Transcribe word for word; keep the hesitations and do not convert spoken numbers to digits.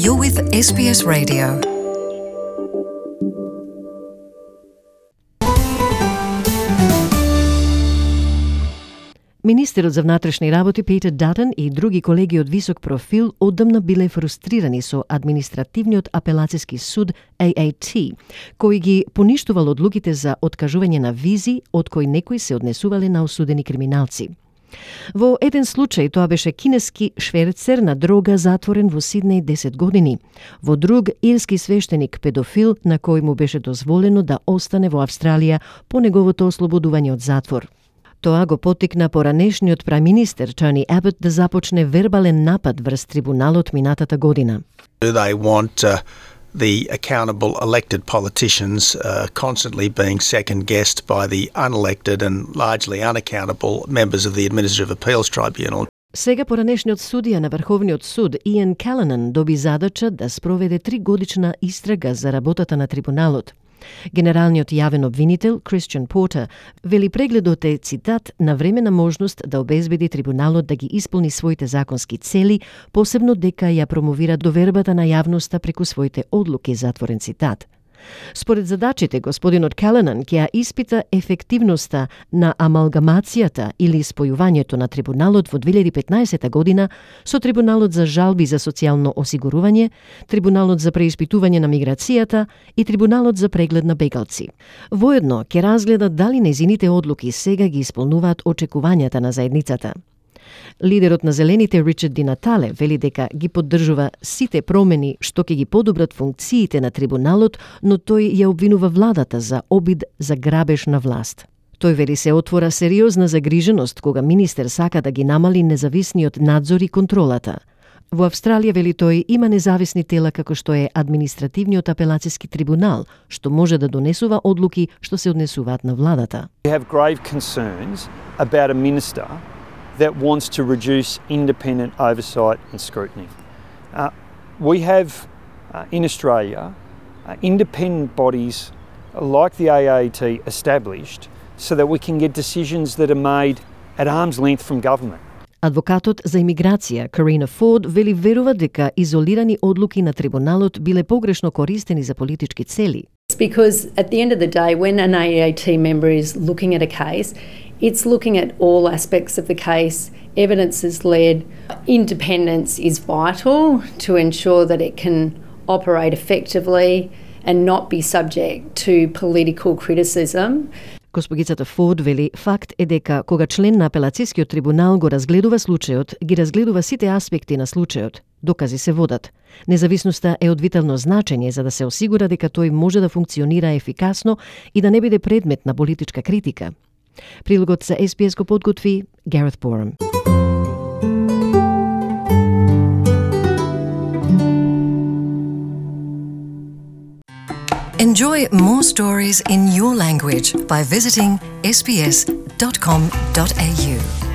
You're with S B S Radio. Министерот за внатрешни работи Питер Датън и други колеги од висок профил одамна биле фрустрирани со административниот апелацијски суд А А Т, кој ги поништувал одлуките за откажување на визи, од кои некои се однесувале на осудени криминалци. Во еден случај тоа беше кинески шверцер на дрога затворен во Сиднеј десет години. Во друг ирски свештеник педофил на кој му беше дозволено да остане во Австралија по неговото ослободување од затвор. Тоа го поттикна поранешниот премиер Тони Абот да започне вербален напад врз трибуналот минатата година. They want uh, the accountable elected politicians uh, constantly being second-guessed by the unelected and largely unaccountable members of the Administrative Appeals Tribunal. Сега поранешниот судија на Врховниот суд Иан Каланан доби задача да спроведе тригодишна истрага за работата на трибуналот. Генералниот јавен обвинител Кристијан Портер вели прегледот е, цитат, на времена можност да обезбеди трибуналот да ги исполни своите законски цели, посебно дека ја промовира довербата на јавноста преку своите одлуки, затворен цитат. Според задачите, господинот Каланан ќе ја испита ефективноста на амалгамацијата или спојувањето на трибуналот во две илјади и петнаесета година со трибуналот за жалби за социјално осигурување, трибуналот за преиспитување на миграцијата и трибуналот за преглед на бегалци. Воедно ќе разгледа дали нејзините одлуки сега ги исполнуваат очекувањата на заедницата. Лидерот на Зелените Ричард Ди Натале вели дека ги поддржува сите промени што ќе ги подобрат функциите на трибуналот, но тој ја обвинува владата за обид за грабеж на власт. Тој вели се отвора сериозна загриженост кога министер сака да ги намали независниот надзор и контролата. Во Австралија, вели тој, има независни тела како што е административниот апелацијски трибунал, што може да донесува одлуки што се однесуваат на владата. We have grave concerns about a minister that wants to reduce independent oversight and scrutiny. Uh, we have uh, in Australia uh, independent bodies like the A A T established so that we can get decisions that are made at arm's length from government. Адвокатот за имиграција Карина Форд вели верува дека изолирани одлуки на трибуналот биле погрешно користени за политички цели. It's because at the end of the day, when an A A T member is looking at a case, it's looking at all aspects of the case. Evidence is led. Independence is vital to ensure that it can operate effectively and not be subject to political criticism. Госпогицата Форд вели факт е дека кога член на апелацијскиот трибунал го разгледува случајот, ги разгледува сите аспекти на случајот. Докази се водат. Независноста е од витално значење за да се осигура дека тој може да функционира ефикасно и да не биде предмет на политичка критика. Прилогот за С Б С го подготви Гарет Борам. Enjoy more stories in your language by visiting s b s dot com dot a u.